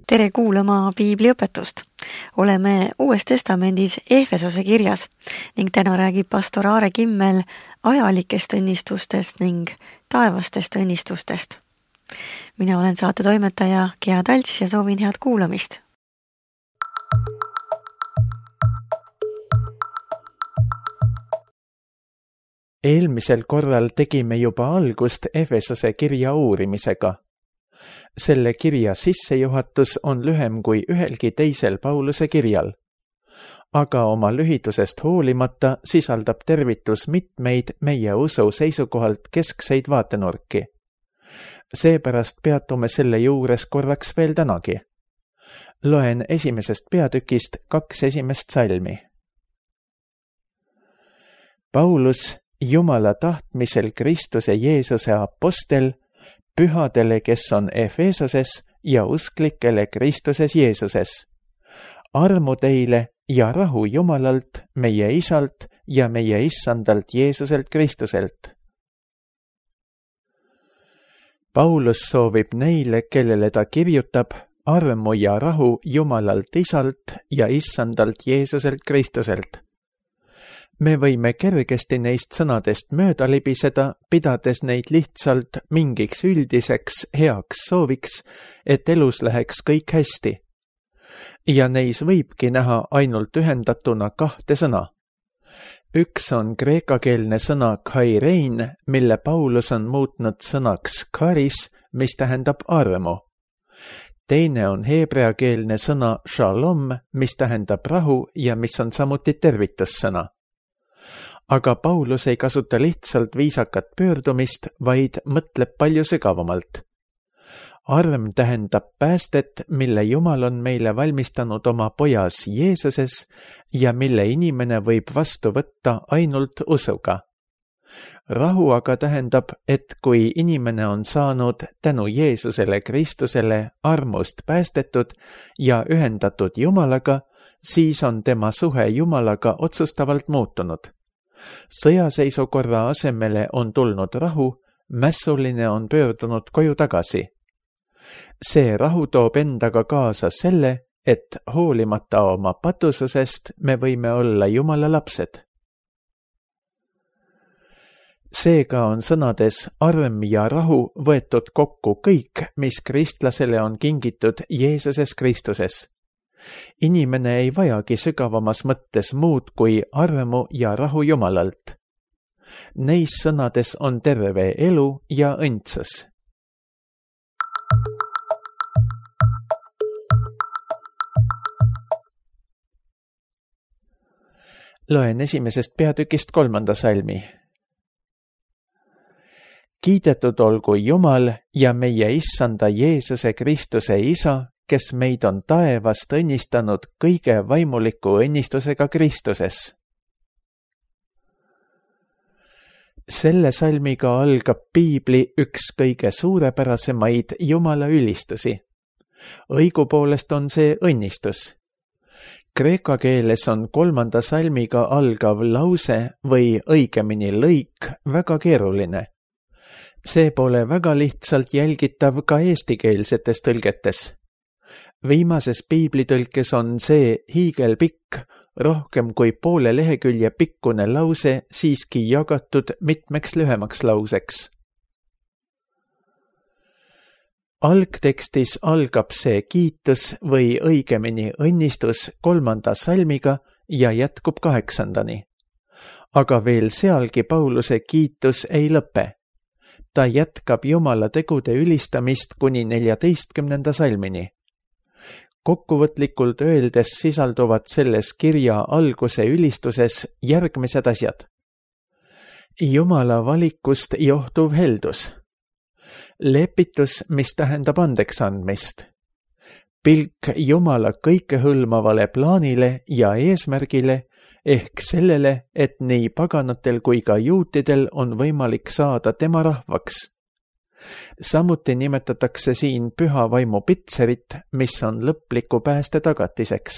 Tere kuulama piibliõpetust. Oleme Uues Testamendis Efesose kirjas ning täna räägib pastor Aare Kimmel ajalikest õnnistustest ning taevastest õnnistustest. Mina olen saatetoimetaja Gea Talts ja soovin head kuulamist. Eelmisel korral tegime juba algust Efesose kirja uurimisega. Selle kirja sissejuhatus on lühem kui ühelgi teisel Pauluse kirjal. Aga oma lühidusest hoolimata sisaldab tervitus mitmeid meie usu seisukohalt keskseid vaatenurki. Seepärast peatume selle juures korraks veel tänagi. Loen esimesest peatükist 2 esimest salmi. Paulus, Jumala tahtmisel Kristuse Jeesuse apostel, pühadele, kes on Efesoses ja usklikele Kristuses Jeesuses. Armu teile ja rahu Jumalalt, meie Isalt ja meie Issandalt Jeesuselt Kristuselt. Paulus soovib neile, kellele ta kirjutab, armu ja rahu Jumalalt Isalt ja Issandalt Jeesuselt Kristuselt. Me võime kergesti neist sõnadest mööda libiseda, pidades neid lihtsalt mingiks üldiseks heaks sooviks, et elus läheks kõik hästi. Ja neis võibki näha ainult ühendatuna 2 sõna. Üks on kreekakeelne sõna kairein, mille Paulus on muutnud sõnaks karis, mis tähendab armu. Teine on heebreakeelne sõna shalom, mis tähendab rahu ja mis on samuti tervitussõna. Aga Paulus ei kasuta lihtsalt viisakat pöördumist, vaid mõtleb palju sügavamalt. Arm tähendab päästet, mille Jumal on meile valmistanud oma pojas Jeesuses ja mille inimene võib vastu võtta ainult usuga. Rahu aga tähendab, et kui inimene on saanud tänu Jeesusele Kristusele armust päästetud ja ühendatud Jumalaga, siis on tema suhe Jumalaga otsustavalt muutunud. Sõjaseisukorra asemele on tulnud rahu, mässuline on pöördunud koju tagasi. See rahu toob endaga kaasa selle, et hoolimata oma patususest me võime olla Jumala lapsed. Seega on sõnades arm ja rahu võetud kokku kõik, mis kristlasele on kingitud Jeesuses Kristuses. Inimene ei vajagi sügavamas mõttes muud kui armu ja rahu Jumalalt. Neis sõnades on terve elu ja õndsus. Loen esimesest peatükist 3. salmi. Kiidetud olgu Jumal ja meie Issanda Jeesuse Kristuse Isa, kes meid on taevast õnnistanud kõige vaimuliku õnnistusega Kristuses. Selle salmiga algab piibli üks kõige suurepärasemaid Jumala ülistusi. Õigupoolest on see õnnistus. Kreeka keeles on 3. salmiga algav lause või õigemini lõik väga keeruline. See pole väga lihtsalt jälgitav ka eestikeelsetes tõlgetes. Viimases piiblitõlkes on see hiigelpikk, rohkem kui poole lehekülje pikkune lause siiski jagatud mitmeks lühemaks lauseks. Algtekstis algab see kiitus või õigemini õnnistus 3. salmiga ja jätkub 8. Aga veel sealgi Pauluse kiitus ei lõpe. Ta jätkab Jumala tegude ülistamist kuni 14. salmini. Kokkuvõtlikult öeldes sisalduvad selles kirja alguse ülistuses järgmised asjad. Jumala valikust johtuv heldus. Lepitus, mis tähendab andeks andmist. Pilk Jumala kõikehõlmavale plaanile ja eesmärgile, ehk sellele, et nii paganatel kui ka juutidel on võimalik saada tema rahvaks. Samuti nimetatakse siin püha vaimu pitserit, mis on lõpliku pääste tagatiseks.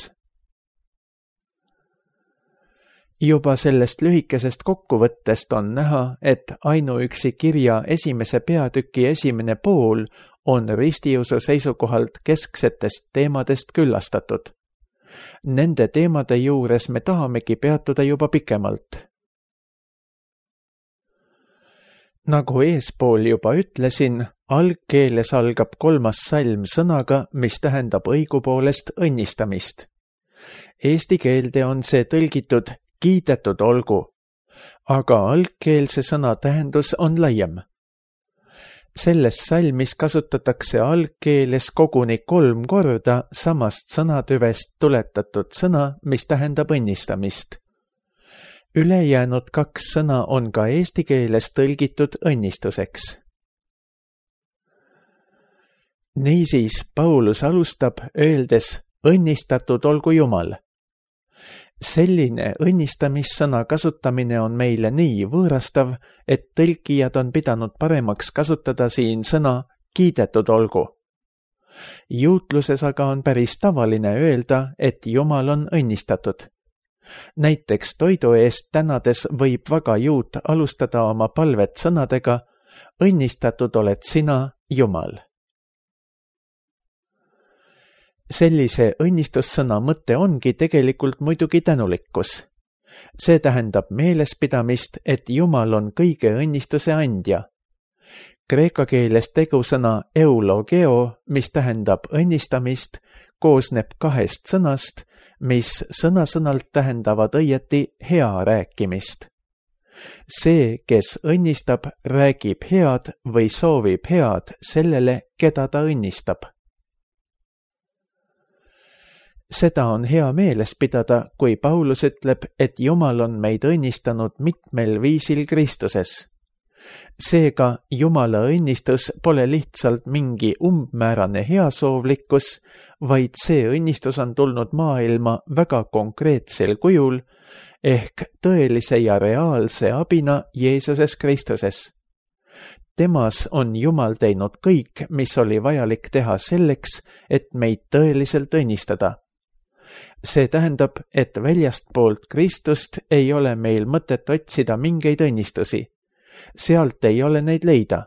Juba sellest lühikesest kokkuvõttest on näha, et ainuüksi kirja esimese peatüki esimene pool on ristiusu seisukohalt kesksetest teemadest küllastatud. Nende teemade juures me tahamegi peatuda juba pikemalt. Nagu eespool juba ütlesin, algkeeles algab 3. salm sõnaga, mis tähendab õigupoolest õnnistamist. Eesti keelde on see tõlgitud kiidetud olgu, aga algkeelse sõna tähendus on laiem. Selles salmis kasutatakse algkeeles koguni 3 korda samast sõnatüvest tuletatud sõna, mis tähendab õnnistamist. Ülejäänud 2 sõna on ka eesti keeles tõlgitud õnnistuseks. Niisiis Paulus alustab öeldes õnnistatud olgu Jumal. Selline õnnistamissõna kasutamine on meile nii võõrastav, et tõlkijad on pidanud paremaks kasutada siin sõna kiidetud olgu. Juutluses aga on päris tavaline öelda, et Jumal on õnnistatud. Näiteks toidu eest tänades võib vaga juut alustada oma palvet sõnadega õnnistatud oled sina, Jumal. Sellise õnnistussõna mõte ongi tegelikult muidugi tänulikkus. See tähendab meelespidamist, et Jumal on kõige õnnistuse andja. Kreeka keeles tegusõna eulogeo, mis tähendab õnnistamist, koosneb 2 sõnast, mis sõna-sõnalt tähendavad õieti hea rääkimist. See, kes õnnistab, räägib head või soovib head sellele, keda ta õnnistab. Seda on hea meeles pidada, kui Paulus ütleb, et Jumal on meid õnnistanud mitmel viisil Kristuses. Seega Jumala õnnistus pole lihtsalt mingi umbmäärane heasoovlikkus, vaid see õnnistus on tulnud maailma väga konkreetsel kujul, ehk tõelise ja reaalse abina Jeesuses Kristuses. Temas on Jumal teinud kõik, mis oli vajalik teha selleks, et meid tõeliselt õnnistada. See tähendab, et väljastpoolt Kristust ei ole meil mõtet otsida mingeid õnnistusi. Sealt ei ole neid leida.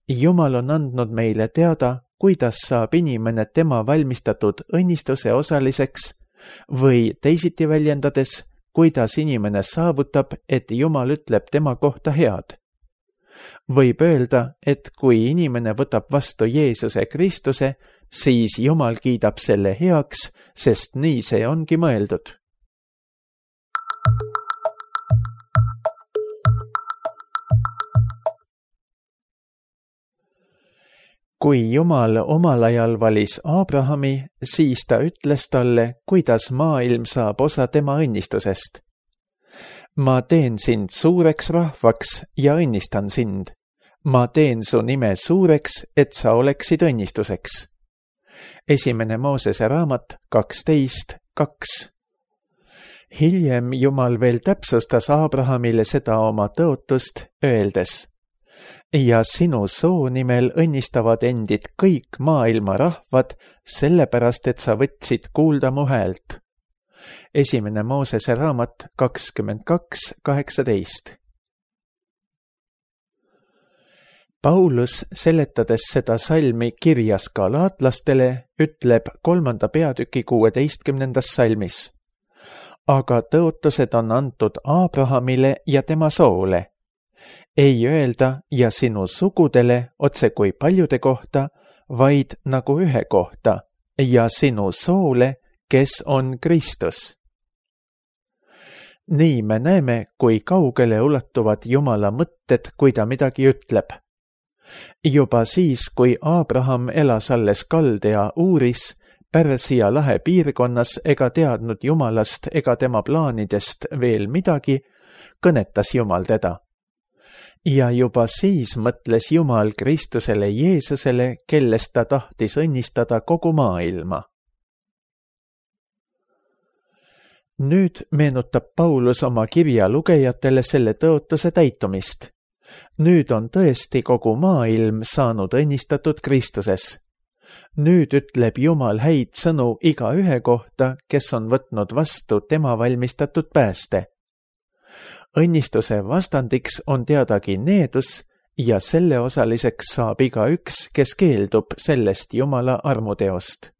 Jumal on andnud meile teada, kuidas saab inimene tema valmistatud õnnistuse osaliseks või teisiti väljendades, kuidas inimene saavutab, et Jumal ütleb tema kohta head. Võib öelda, et kui inimene võtab vastu Jeesuse Kristuse, siis Jumal kiidab selle heaks, sest nii see ongi mõeldud. Kui Jumal omal ajal valis Abrahami, siis ta ütles talle, kuidas maailm saab osa tema õnnistusest. Ma teen sind suureks rahvaks ja õnnistan sind. Ma teen su nime suureks, et sa oleksid õnnistuseks. 1. Moosese raamat 12:2. Hiljem Jumal veel täpsustas Abrahamile seda oma tõotust, öeldes: ja sinu soo nimel õnnistavad endid kõik maailma rahvad, sellepärast et sa võtsid kuulda mu häält. 1. Moosese raamat 22:18. Paulus, seletades seda salmi kirjas galaatlastele, ütleb 3. peatüki 16. salmis: aga tõotused on antud Abrahamile ja tema soole. Ei öelda ja sinu sugudele otse kui paljude kohta, vaid nagu ühe kohta ja sinu soole, kes on Kristus. Nii me näeme, kui kaugele ulatuvad Jumala mõtted, kui ta midagi ütleb. Juba siis, kui Abraham elas alles Kaldea Uuris, Pärsia lahe piirkonnas ega teadnud Jumalast ega tema plaanidest veel midagi, kõnetas Jumal teda. Ja juba siis mõtles Jumal Kristusele Jeesusele, kellest ta tahtis õnnistada kogu maailma. Nüüd meenutab Paulus oma kirja lugejatele selle tõotuse täitumist. Nüüd on tõesti kogu maailm saanud õnnistatud Kristuses. Nüüd ütleb Jumal häid sõnu igaühe kohta, kes on võtnud vastu tema valmistatud pääste. Õnnistuse vastandiks on teadagi needus ja selle osaliseks saab igaüks, kes keeldub sellest Jumala armuteost.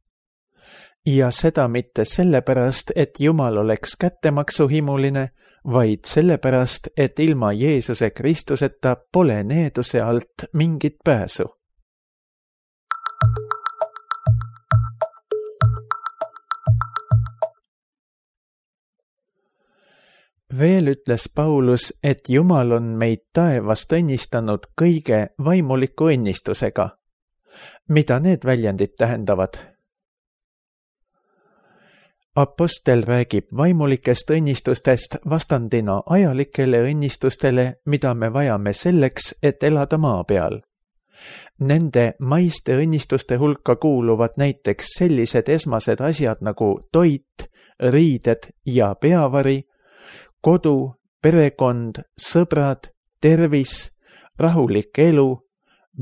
Ja seda mitte sellepärast, et Jumal oleks kättemaksuhimuline, vaid sellepärast, et ilma Jeesuse Kristuseta pole needuse alt mingit pääsu. Veel ütles Paulus, et Jumal on meid taevast õnnistanud kõige vaimuliku õnnistusega. Mida need väljendid tähendavad? Apostel räägib vaimulikest õnnistustest vastandina ajalikele õnnistustele, mida me vajame selleks, et elada maa peal. Nende maiste õnnistuste hulka kuuluvad näiteks sellised esmased asjad nagu toit, riided ja peavari, kodu, perekond, sõbrad, tervis, rahulik elu,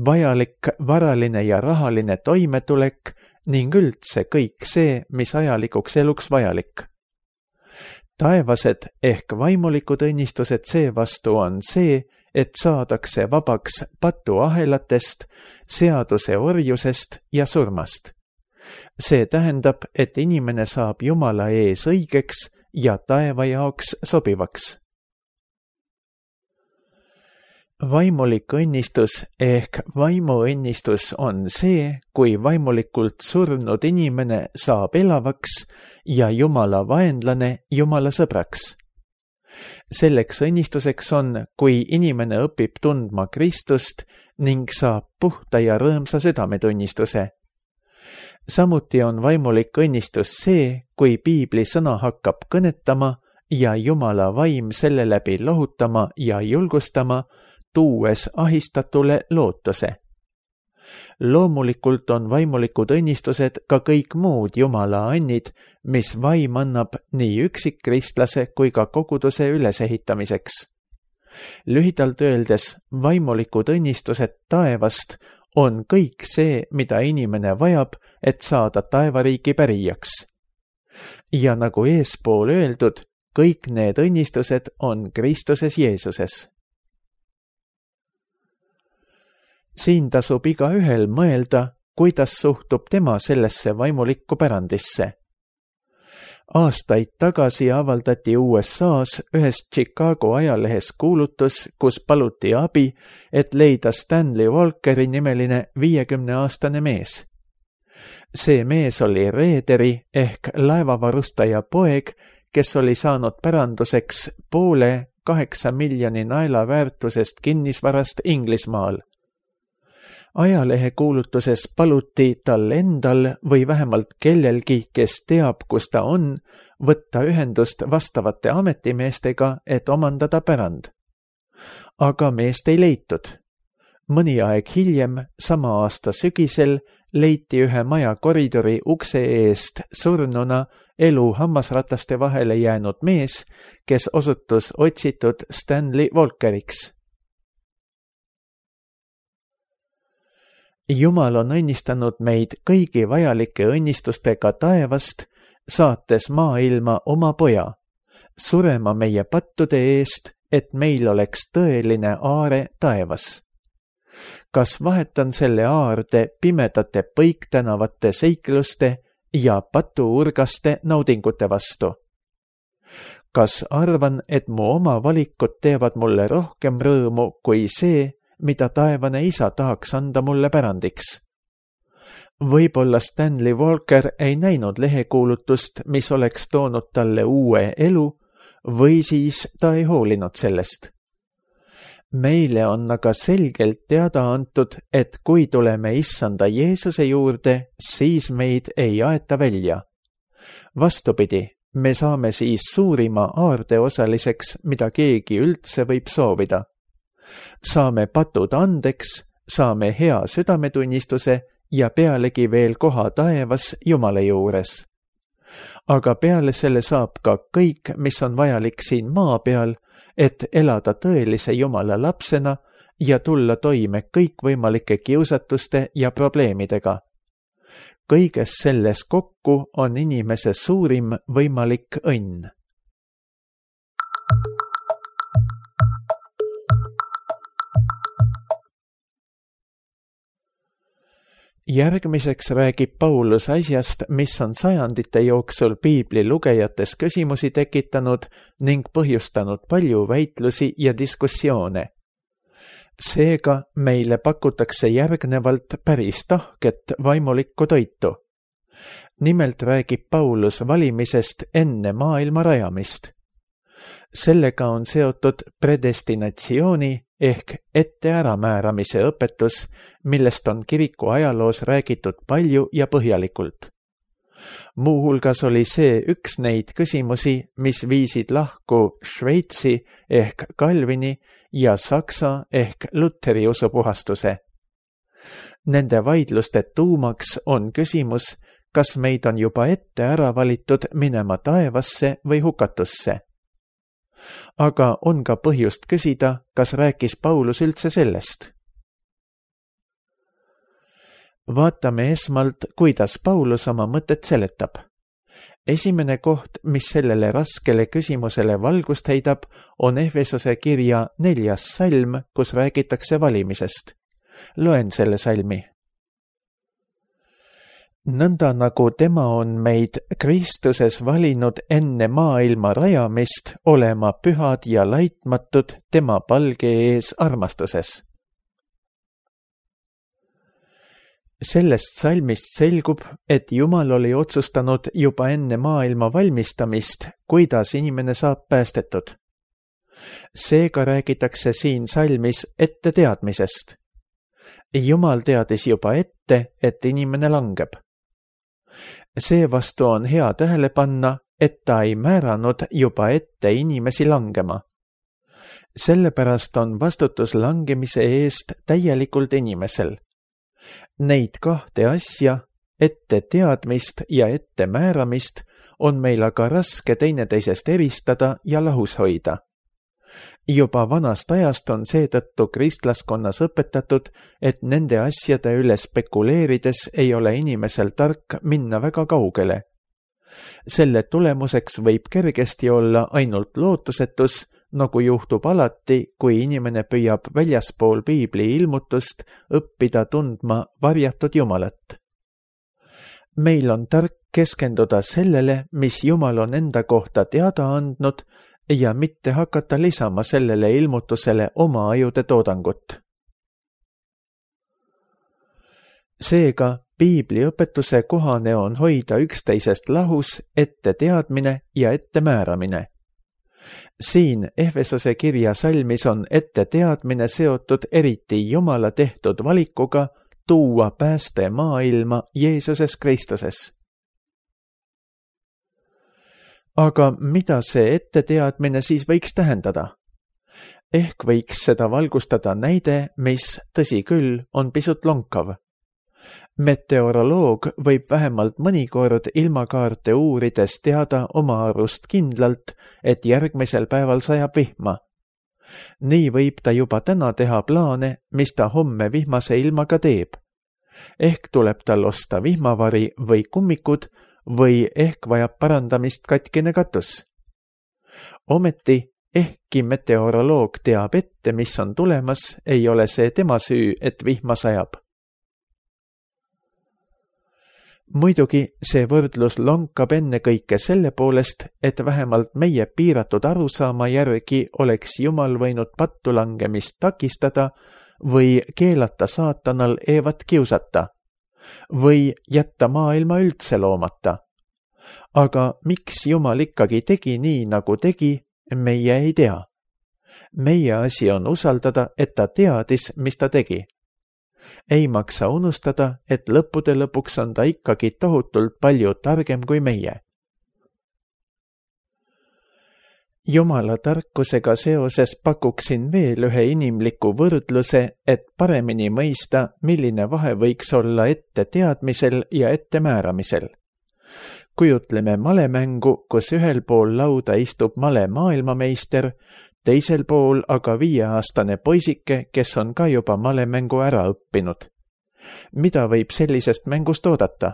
vajalik varaline ja rahaline toimetulek ning üldse kõik see, mis ajalikuks eluks vajalik. Taevased ehk vaimulikud õnnistused seevastu on see, et saadakse vabaks patuahelatest, seaduse orjusest ja surmast. See tähendab, et inimene saab Jumala ees õigeks ja taeva jaoks sobivaks. Vaimulik õnnistus ehk vaimuõnnistus on see, kui vaimulikult surnud inimene saab elavaks ja Jumala vaenlane Jumala sõbraks. Selleks õnnistuseks on, kui inimene õpib tundma Kristust ning saab puhta ja rõõmsa südametunnistuse. Samuti on vaimulik õnnistus see, kui piibli sõna hakkab kõnetama ja Jumala vaim selle läbi lohutama ja julgustama, tuues ahistatule lootuse. Loomulikult on vaimulikud õnnistused ka kõik muud Jumala annid, mis vaim annab nii üksikkristlase kui ka koguduse ülesehitamiseks. Lühidalt öeldes, vaimulikud õnnistused taevast on kõik see, mida inimene vajab, et saada taevariigi pärijaks. Ja nagu eespool öeldud, kõik need õnnistused on Kristuses Jeesuses. Siin tasub igaühel mõelda, kuidas suhtub tema sellesse vaimulikku pärandisse. Aastaid tagasi avaldati USA-s ühes Chicago ajalehes kuulutus, kus paluti abi, et leida Stanley Walkeri nimeline 50-aastane mees. See mees oli reederi ehk laevavarustaja poeg, kes oli saanud päranduseks poole 8 miljoni naela väärtusest kinnisvarast Inglismaal. Ajalehe kuulutuses paluti tal endal või vähemalt kellelgi, kes teab, kus ta on, võtta ühendust vastavate ametimeestega, et omandada pärand. Aga meest ei leitud. Mõni aeg hiljem, sama aasta sügisel, leiti ühe maja koridori ukse eest surnuna elu hammasrataste vahele jäänud mees, kes osutus otsitud Stanley Walkeriks. Jumal on õnnistanud meid kõigi vajalike õnnistustega taevast, saates maailma oma poja, surema meie pattude eest, et meil oleks tõeline aare taevas. Kas vahetan selle aarde pimedate põiktänavate seikluste ja patuurgaste naudingute vastu? Kas arvan, et mu oma valikud teevad mulle rohkem rõõmu kui see, mida taevane isa tahaks anda mulle pärandiks? Võib-olla Stanley Walker ei näinud lehekuulutust, mis oleks toonud talle uue elu, või siis ta ei hoolinud sellest. Meile on aga selgelt teada antud, et kui tuleme issanda Jeesuse juurde, siis meid ei aeta välja. Vastupidi, me saame siis suurima aarde osaliseks, mida keegi üldse võib soovida. Saame patud andeks, saame hea südametunnistuse ja pealegi veel koha taevas Jumala juures. Aga peale selle saab ka kõik, mis on vajalik siin maa peal, et elada tõelise Jumala lapsena ja tulla toime kõikvõimalike kiusatuste ja probleemidega. kõiges selles kokku on inimese suurim võimalik õnn. Järgmiseks räägib Paulus asjast, mis on sajandite jooksul piibli lugejates küsimusi tekitanud ning põhjustanud palju väitlusi ja diskussioone. Seega meile pakutakse järgnevalt päris tahket vaimulikku toitu. Nimelt räägib Paulus valimisest enne maailma rajamist. Sellega on seotud predestinatsiooni ehk ette äramääramise õpetus, millest on kiriku ajaloos räägitud palju ja põhjalikult. Muuhulgas oli see üks neid küsimusi, mis viisid lahku Šveitsi ehk Calvini ja Saksa ehk Luteri usupuhastuse. Nende vaidluste tuumaks on küsimus, kas meid on juba ette ära valitud minema taevasse või hukatusse. Aga on ka põhjust küsida, kas rääkis Paulus üldse sellest. Vaatame esmalt, kuidas Paulus oma mõtet seletab. Esimene koht, mis sellele raskele küsimusele valgust heidab, on Efesose kirja 4. salm, kus räägitakse valimisest. Loen selle salmi. Nõnda nagu tema on meid Kristuses valinud enne maailma rajamist olema pühad ja laitmatud tema palge ees armastuses. Sellest salmist selgub, et Jumal oli otsustanud juba enne maailma valmistamist, kuidas inimene saab päästetud. Seega räägitakse siin salmis ette teadmisest. Jumal teadis juba ette, et inimene langeb. Seevastu on hea tähele panna, et ta ei määranud juba ette inimesi langema. Sellepärast on vastutus langemise eest täielikult inimesel. Neid kahte asja, ette teadmist ja ette määramist, on meil aga raske teineteisest eristada ja lahus hoida. Juba vanast ajast on seetõttu kristlaskonnas õpetatud, et nende asjade üle spekuleerides ei ole inimesel tark minna väga kaugele. Selle tulemuseks võib kergesti olla ainult lootusetus, nagu juhtub alati, kui inimene püüab väljaspool piibli ilmutust õppida tundma varjatud Jumalat. Meil on tark keskenduda sellele, mis Jumal on enda kohta teada andnud, ja mitte hakata lisama sellele ilmutusele oma ajude toodangut. Seega, piibli õpetuse kohane on hoida üksteisest lahus ette teadmine ja ette määramine. Siin Efesose kirja salmis on ette teadmine seotud eriti Jumala tehtud valikuga tuua pääste maailma Jeesuses Kristuses. Aga mida see etteteadmine siis võiks tähendada? Ehk võiks seda valgustada näide, mis, tõsi küll, on pisut lonkav. Meteoroloog võib vähemalt mõnikord ilmakaarte uurides teada oma arust kindlalt, et järgmisel päeval sajab vihma. Nii võib ta juba täna teha plaane, mis ta homme vihmase ilmaga teeb. Ehk tuleb tal osta vihmavari või kummikud, või ehk vajab parandamist katkine katus. Ometi, ehkki meteoroloog teab ette, mis on tulemas, ei ole see tema süü, et vihma sajab. Muidugi see võrdlus lonkab ennekõike selle poolest, et vähemalt meie piiratud arusaama järgi oleks Jumal võinud pattu langemist takistada või keelata saatanal Eevat kiusata või jätta maailma üldse loomata. Aga miks Jumal ikkagi tegi nii, nagu tegi, meie ei tea. Meie asi on usaldada, et ta teadis, mis ta tegi. Ei maksa unustada, et lõppude lõpuks on ta ikkagi tohutult palju targem kui meie. Jumala tarkusega seoses pakuksin veel ühe inimliku võrdluse, et paremini mõista, milline vahe võiks olla ette teadmisel ja ette määramisel. Kujutleme malemängu, kus ühel pool lauda istub male maailmameister, teisel pool aga 5-aastane poisike, kes on ka juba malemängu ära õppinud. Mida võib sellisest mängust oodata?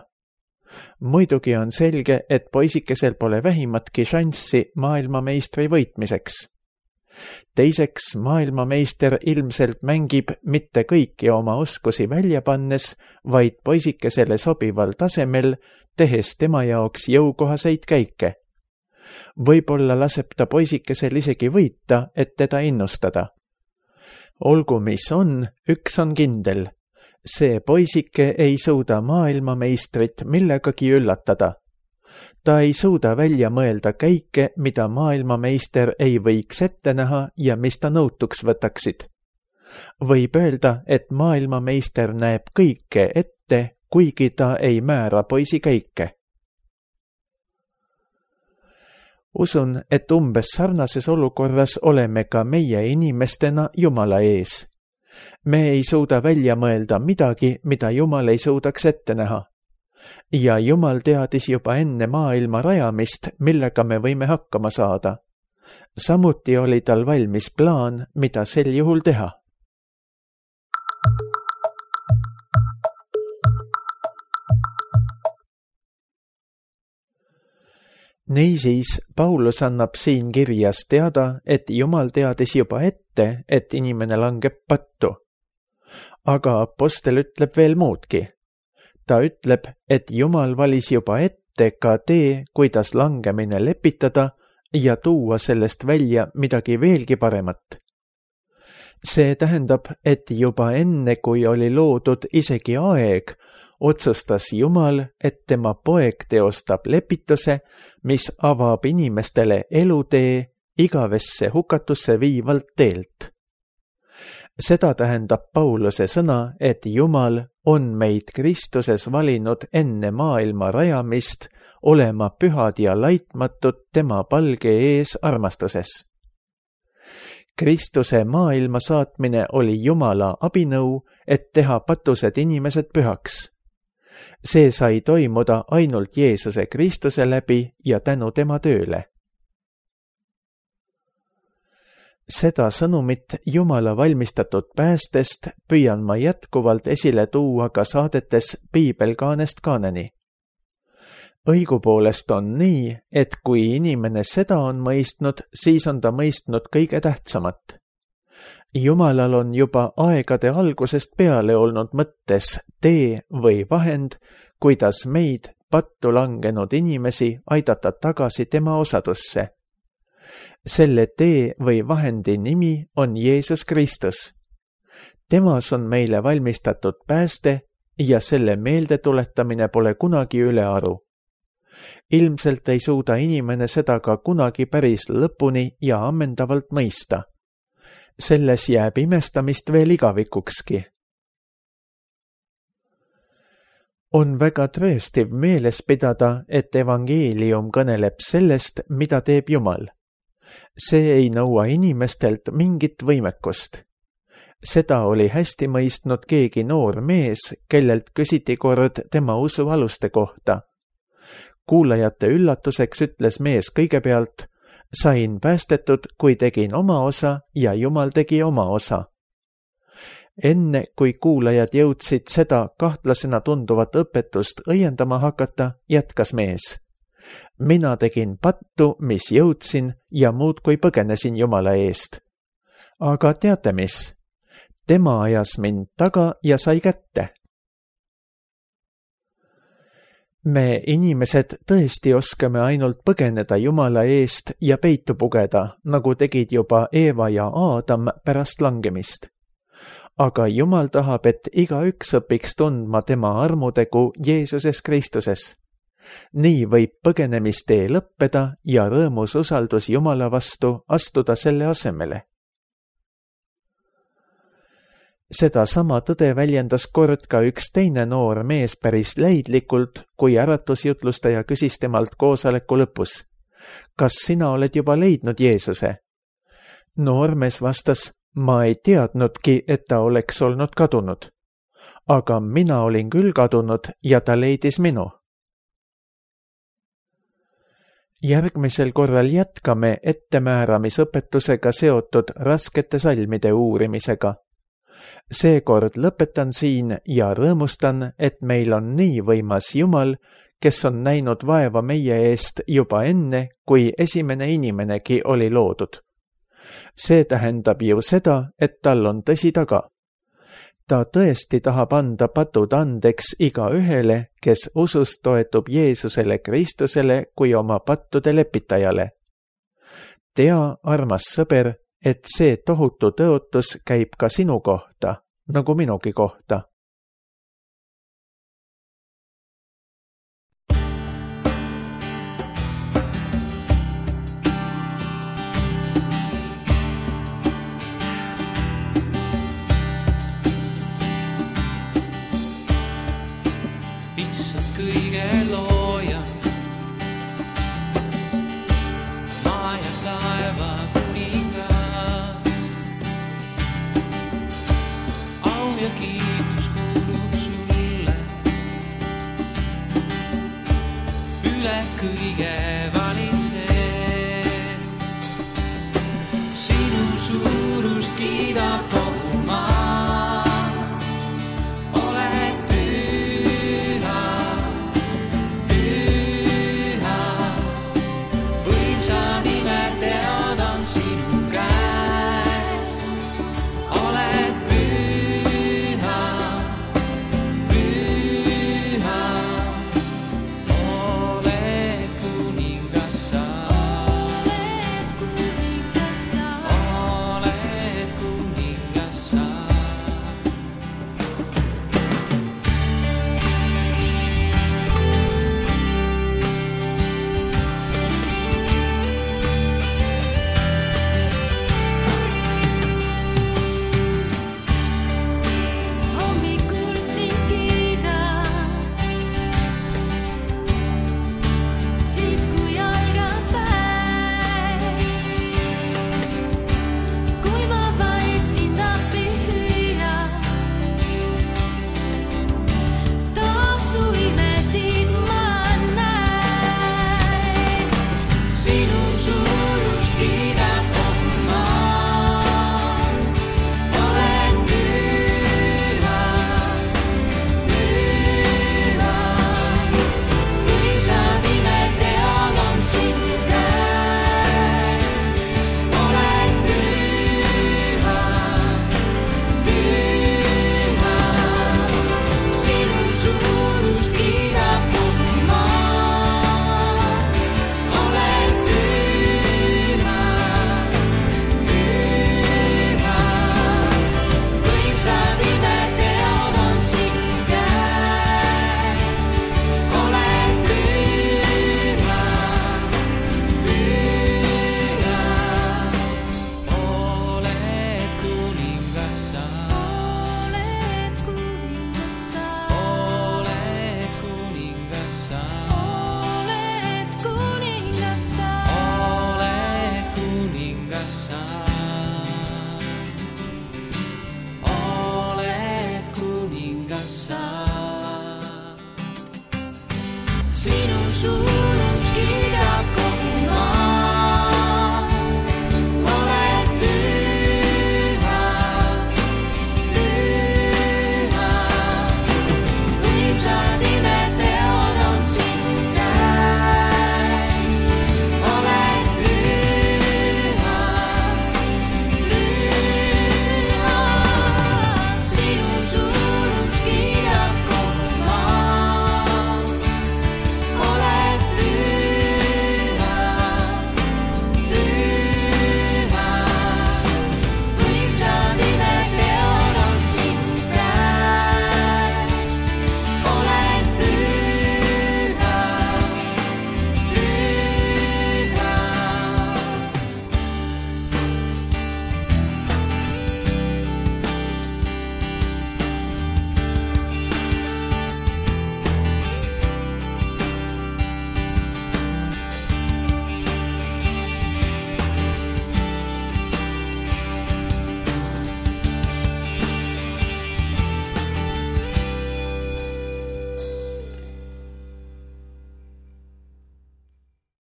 Muidugi on selge, et poisikesel pole vähimatki šanssi maailmameistri võitmiseks. Teiseks, maailmameister ilmselt mängib mitte kõiki oma oskusi välja pannes, vaid poisikesele sobival tasemel, tehes tema jaoks jõukohaseid käike. Võib-olla laseb ta poisikesel isegi võita, et teda innustada. Olgu mis on, üks on kindel. See poisike ei suuda maailmameistrit millegagi üllatada. Ta ei suuda välja mõelda käike, mida maailmameister ei võiks ette näha ja mis ta nõutuks võtaksid. Võib öelda, et maailmameister näeb kõike ette, kuigi ta ei määra poisi käike. Usun, et umbes sarnases olukorras oleme ka meie inimestena Jumala ees. Me ei suuda välja mõelda midagi, mida Jumal ei suudaks ette näha. Ja Jumal teadis juba enne maailma rajamist, millega me võime hakkama saada. Samuti oli tal valmis plaan, mida sel juhul teha. Niisiis, Paulus annab siin kirjas teada, et Jumal teadis juba ette, et inimene langeb pattu. Aga apostel ütleb veel muudki. Ta ütleb, et Jumal valis juba ette ka tee, kuidas langemine lepitada ja tuua sellest välja midagi veelgi paremat. See tähendab, et juba enne, kui oli loodud isegi aeg, otsustas Jumal, et tema poeg teostab lepituse, mis avab inimestele elutee igavesse hukatusse viivalt teelt. Seda tähendab Pauluse sõna, et Jumal on meid Kristuses valinud enne maailma rajamist olema pühad ja laitmatud tema palge ees armastuses. Kristuse maailma saatmine oli Jumala abinõu, et teha patused inimesed pühaks. See sai toimuda ainult Jeesuse Kristuse läbi ja tänu tema tööle. Seda sõnumit Jumala valmistatud päästest püüan ma jätkuvalt esile tuua ka saadetes Piibelkaanest kaaneni. Õigupoolest on nii, et kui inimene seda on mõistnud, siis on ta mõistnud kõige tähtsamat. Jumalal on juba aegade algusest peale olnud mõttes tee või vahend, kuidas meid, pattu langenud inimesi, aidata tagasi tema osadusse. Selle tee või vahendi nimi on Jeesus Kristus. Temas on meile valmistatud pääste ja selle meeldetuletamine pole kunagi ülearu. Ilmselt ei suuda inimene seda ka kunagi päris lõpuni ja ammendavalt mõista. Selles jääb imestamist veel igavikukski. On väga trööstiv meeles pidada, et evangeelium kõneleb sellest, mida teeb Jumal. See ei nõua inimestelt mingit võimekust. Seda oli hästi mõistnud keegi noor mees, kellelt küsiti kord tema usu aluste kohta. Kuulajate üllatuseks ütles mees kõigepealt: sain päästetud, kui tegin oma osa ja Jumal tegi oma osa. Enne, kui kuulajad jõudsid seda kahtlasena tunduvat õpetust õiendama hakata, jätkas mees: mina tegin pattu, mis jõudsin ja muudkui põgenesin Jumala eest. Aga teate mis? Tema ajas mind taga ja sai kätte. Me inimesed tõesti oskame ainult põgeneda Jumala eest ja peitu pugeda, nagu tegid juba Eeva ja Aadam pärast langemist. Aga Jumal tahab, et igaüks õpiks tundma tema armutegu Jeesuses Kristuses. Nii võib põgenemistee lõppeda ja rõõmus usaldus Jumala vastu astuda selle asemele. Seda sama tõde väljendas kord ka üks teine noor mees päris leidlikult, kui äratusjutlustaja küsis temalt koosoleku lõpus: kas sina oled juba leidnud Jeesuse? Noormees vastas: ma ei teadnudki, et ta oleks olnud kadunud. Aga mina olin küll kadunud ja ta leidis minu. Järgmisel korral jätkame ettemääramisõpetusega seotud raskete salmide uurimisega. Seekord lõpetan siin ja rõõmustan, et meil on nii võimas Jumal, kes on näinud vaeva meie eest juba enne, kui esimene inimenegi oli loodud. See tähendab ju seda, et tal on tõsi taga. Ta tõesti tahab anda patud andeks igaühele, kes usus toetub Jeesusele Kristusele kui oma pattude lepitajale. Tea, armas sõber, et see tohutu tõotus käib ka sinu kohta, nagu minugi kohta.